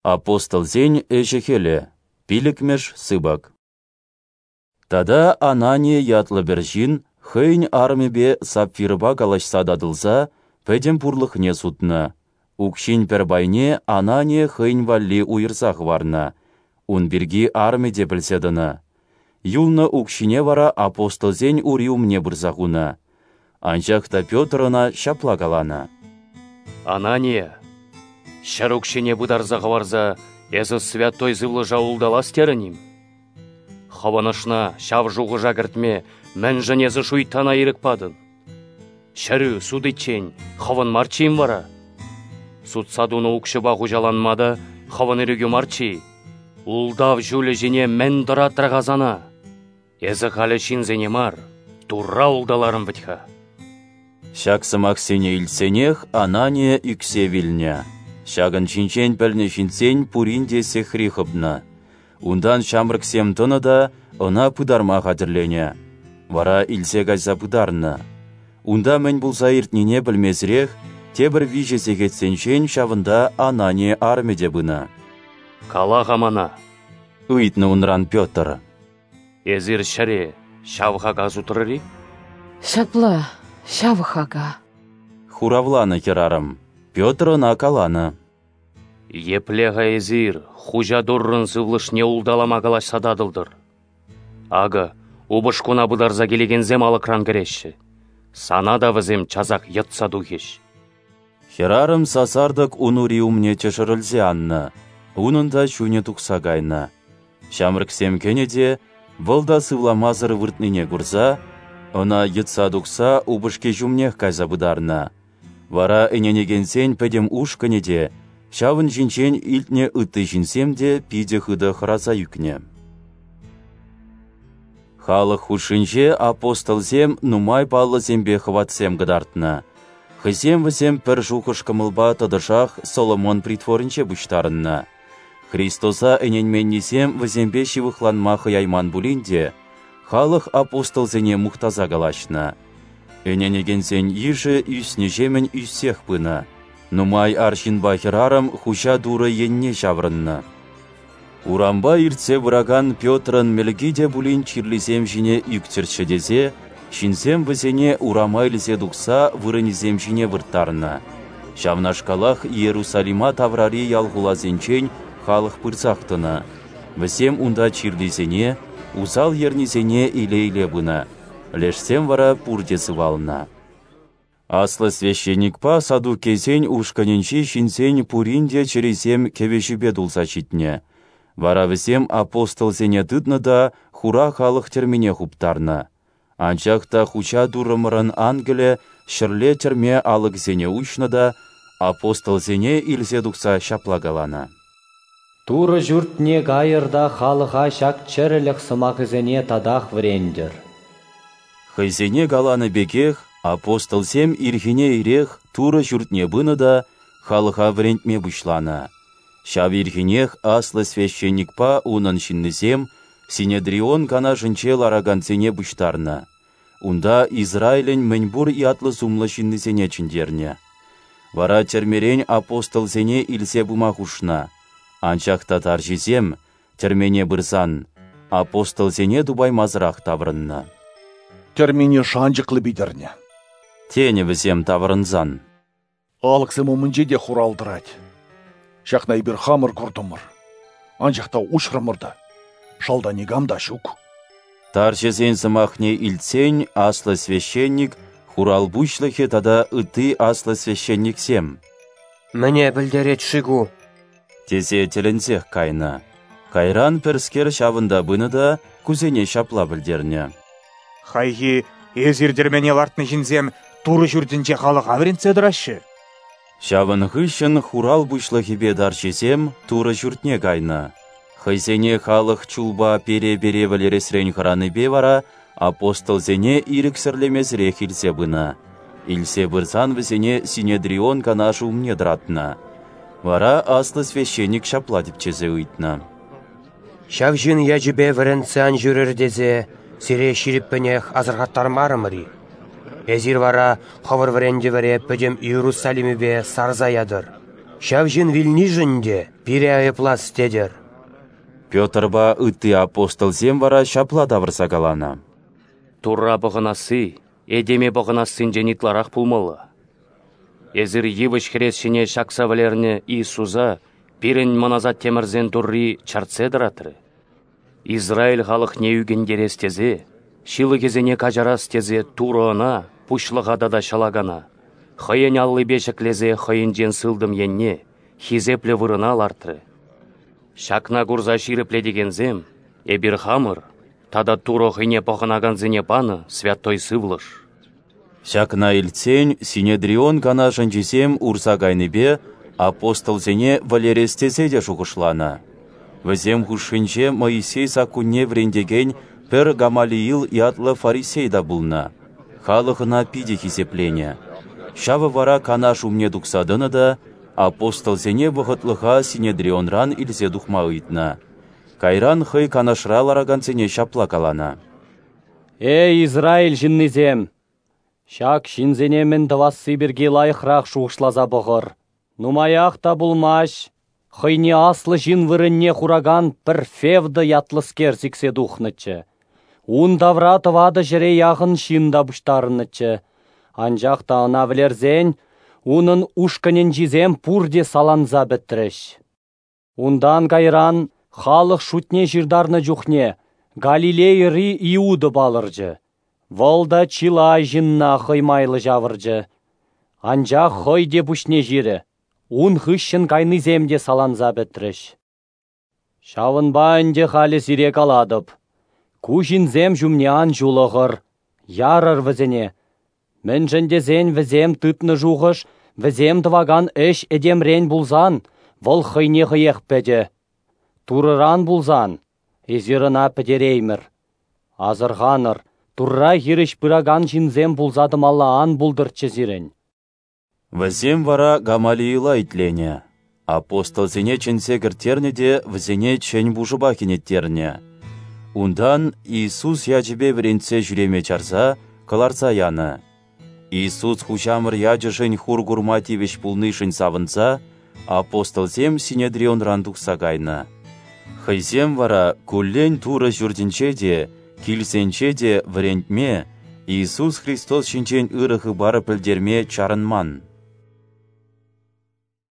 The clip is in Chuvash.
Апостолсен ӗҫӗ-хӗлӗ, пиллӗкмӗш сыпӑк. Тата Анания ятлӑ пӗр ҫын хӑйӗн арӑмӗпе Сапфирӑпа калаҫса татӑлса пӗтӗм пурлӑхне сутнӑ, укҫин пӗр пайне Анания хӑйӗн валли уйӑрса хӑварнӑ, ун пирки арӑмӗ те пӗлсе тӑнӑ. Юлнӑ укҫине вара апостолсен ури умне пырса хунӑ. Анчах та Петр ӑна ҫапла каланӑ: Анания, ҫӗр укҫине пытарса хӑварса эсӗ Святой Сывлӑша улталас терӗн-им? Хӑвӑн ӑшна ҫав шухӑша кӗртме мӗншӗн эсӗ шуйттана ирӗк патӑн? Ҫӗрӳ сутиччен хӑвӑн марччӗ-им вара? Сутса тунӑ укҫупа хуҫаланма та хӑвӑн ирӗкӳ марччӗ-и? Ултав ҫулӗ ҫине мӗн тӑратрӗ-ха сана? Эсӗ халӗ ҫынсене мар, Турра улталарӑн вӗт-ха. Ҫак сӑмахсене илтсенех Анания ӳксе вилнӗ. Ҫакӑн ҫинчен пӗлнӗ ҫынсен пурин те сехри хӑпнӑ. Унтан ҫамрӑксем тӑнӑ та ӑна пытарма хатӗрленӗ. Вара илсе кайса пытарнӑ. Унта мӗн пулса иртнине пӗлмесӗрех тепӗр 3 сехетсенчен ҫавӑнта Анания арӑмӗ те пынӑ. «Кала-ха мана», — ыйтнӑ унран Петр. «Эсир ҫӗре ҫав хака сутрӑр-и?» «Ҫапла, ҫав хака», — хуравланӑ хӗрарӑм. Петр ӑна каланӑ: «Епле-ха эсир Хуҫа Туррӑн сывлӑшне улталама калаҫса татӑлтӑр? Акӑ, упӑшкуна пытарса килекенсем алӑкран кӗреҫҫӗ. Сана та вӗсем часах йӑтса тухӗҫ». Хӗрарӑм сасартӑк ун ури умне тӗшӗрӗлсе аннӑ, унӑн та чунӗ тухса кайнӑ. Ҫамрӑксем кӗнӗ те, вӑл та сывламасӑр выртнине курса, ӑна йӑтса тухса упӑшки ҫумнех кайса пытарнӑ. Вара ӗненекенсен пӗтӗм ушкӑнӗ те, ҫавӑн ҫинчен илтнӗ ытти ҫынсем те питӗ хытӑ хӑраса ӳкнӗ. Халӑх хушшинче апостолсем нумай паллӑсемпе хӑватсем кӑтартнӑ. Хӑйсем вӗсем пӗр шухӑш-кӑмӑлпа тӑтӑшах Соломон притворӗнче пуҫтарӑннӑ. Христоса ӗненменнисем вӗсемпе ҫывӑхланма хӑяйман пулин те, халӑх апостолсене мухтаса калаҫнӑ. Ӗненекенсен йышӗ ӳснӗҫемӗн ӳссех пынӑ. Нумай арҫынпа хӗрарӑм Хуҫа Турӑ енне ҫаврӑннӑ. Урампа иртсе пыракан Петрӑн мӗлки те пулин чирлисем ҫине ӳктӗрччӗ тесе, ҫынсем вӗсене урама илсе тухса вырӑнӗсем ҫине вырттарнӑ. Ҫавнашкалах Иерусалима таврари ял-хуласенчен халӑх пырсах тӑнӑ. Вӗсем унта чирлисене, усал ернисене иле-иле пынӑ. Лешсем вара пурте сывалнӑ. Аслӑ священникпа саддукейсен ушкӑнӗнчи ҫынсен пурин те чӗрисем кӗвӗҫӳпе тулса ҫитнӗ. Вара вӗсем апостолсене тытнӑ та хура халӑх тӗрмине хуптарнӑ. Анчах та Хуҫа Туррӑмӑрӑн ангелӗ ҫӗрле тӗрме алӑкӗсене уҫнӑ та апостолсене илсе тухса ҫапла каланӑ: «Турӑ ҫуртне кайӑр та халӑха ҫак чӗрӗлӗх сӑмахӗсене татах вӗрентӗр». Хӑйсене каланӑ пекех апостолсем ирхине ирех Турӑ ҫуртне пынӑ та халӑха вӗрентме пуҫланӑ. Ҫав ирхинех аслӑ священникпа унӑн ҫыннисем Синедрион канашӗнче ларакансене пуҫтарнӑ. Унта Израилӗн мӗнпур ятлӑ-сумлӑ ҫыннисене чӗнтернӗ. Вара тӗрмерен апостолсене илсе пыма хушнӑ. Анчах та тарҫисем, тӗрмене пырсан, апостолсене тупаймасӑрах таврӑннӑ. «Тӗрмене шанчӑклӑ питӗрнӗ», тенӗ вӗсем таврӑнсан. «Алӑксем умӗнче те хурал тӑрать. Ҫакна эпир хамӑр куртӑмӑр. Анчах та уҫрӑмӑр та, шалта никам та ҫук». Тарҫӑсен сӑмахне илтсен аслӑ священник, хурал пуҫлӑхӗ тата ытти аслӑ священниксем: «Мӗне пӗлтерет-ши ку?» тесе тӗлӗнсех кайнӑ. Кайран пӗрскер ҫавӑнта пынӑ та кусене ҫапла пӗлтернӗ: «Хайхи эсир тӗрмене лартнӑ ҫынсем Турӑ ҫуртӗнче халӑха вӗрентсе тӑраҫҫӗ». Ҫавӑн хыҫҫӑн хурал пуҫлӑхӗпе тарҫисем Турӑ ҫуртне кайнӑ. Хӑйсене халӑх чулпа пере-пере вӗлересрен хӑранипе вара апостолсене ирӗксӗрлемесӗрех илсе пынӑ. Илсе пырсан вӗсене Синедрион канашӗ умне тӑратнӑ. Вара аслӑ священник ҫапла тӗпчесе ыйтнӑ: «Ҫав ҫын ячӗпе вӗрентсе ан ҫӳрӗр тесе сире ҫирӗппӗнех асӑрхаттармарӑмӑр-и? Эсир вара хӑвӑр вӗрентӗвӗре пӗтӗм Иерусалимӗпе сарса ятӑр». Ҫав ҫын вилнишӗн те пире айӑплас тетӗр. Петрпа ытти апостолсем вара ҫапла тавӑрса каланӑ: Турра пӑхӑнасси этеме пӑхӑнассинчен ытларах пулмалла. Эсир йывӑҫ хӗрес ҫине ҫакса вӗлернӗ Иисуса пирӗн мӑн асаттемӗрсен Турри чӗртсе тӑратрӗ. Израиль халӑхне ӳкӗнтерес тесе, ҫылӑхӗсене каҫарас тесе Турӑ ӑна, пуҫлӑха тата ҫӑлакана, хӑйӗн аллипе ҫӗклесе хӑйӗнчен сылтӑм енне, хисеплӗ вырӑна лартрӗ. Ҫакна курса ҫирӗплетекенсем эпир хамӑр тата Турӑ хӑйне пӑхӑнакансене панӑ Святой Сывлӑш. Ҫакна илтсен Синедрион канашӗнчисем урса кайнипе апостолсене вӗлерес тесе те шухӑшланӑ. Вӗсем хушшинче Моисей саккунне вӗрентекен пӗр Гамалиил ятлӑ фарисей та пулнӑ. Халӑх ӑна питӗ хисепленӗ. Ҫавӑ вара канаш умне тухса тӑнӑ та апостолсене вӑхӑтлӑха Синедрионран илсе тухма ыйтнӑ. Кайран хӑй канашра ларакансене ҫапла каланӑ: Эй, Израиль ҫыннисем! Ҫак ҫынсене мӗн тӑвасси пирки лайӑхрах шухӑшласа пӑхӑр. Нумаях та пулмасть, хӑйне аслӑ ҫын вырӑнне хуракан пӗр Февда ятлӑскер сиксе тухнӑччӗ. Ун тавра 400 яхӑн ҫын та пуҫтарӑннӑччӗ. Анчах та ӑна вӗлерсен, унӑн ушкӑнӗнчисем пурте саланса пӗтрӗҫ. Унтан кайран халӑх шутне ҫыртарнӑ чухне Галилейӑри Иуда палӑрчӗ. Вӑл та чылай ҫынна хӑй майлӑ ҫавӑрчӗ. Анчах хӑй те пуҫне ҫирӗ, ун хыҫҫӑн кайнисем те саланса пӗтрӗҫ. Ҫавӑнпа ӗнтӗ халӗ сире калатӑп: ку ҫынсем ҫумне ан ҫулӑхӑр, ярӑр вӗсене. Мӗншӗн тесен вӗсем тытнӑ шухӑш, вӗсем тӑвакан ӗҫ этемрен пулсан, вӑл хӑйне хӑех пӗтӗ. Турӑран пулсан, эсир ӑна пӗтереймӗр. Асӑрханӑр, Турра хирӗҫ пыракан ҫынсем пулса тӑмалла ан пултӑрччӗ сирӗн. Вӗсем вара Гамалиила итленӗ. Апостолсене чӗнсе кӗрттернӗ те вӗсене чӗн пушӑпа хӗнеттернӗ. Унтан Иисус ячӗпе вӗрентсе ҫӳреме чарса, кӑларса янӑ. Иисус хуҫамӑр ячӗшӗн хур курма тивӗҫ пулнишӗн савӑнса, апостолсем Синедрионран тухса кайнӑ. Хӑйсем вара куллен Турӑ ҫуртӗнче те, килсенче те вӗрентме, Иисус Христос ҫинчен ырӑ хыпар пӗлтерме чарӑнман.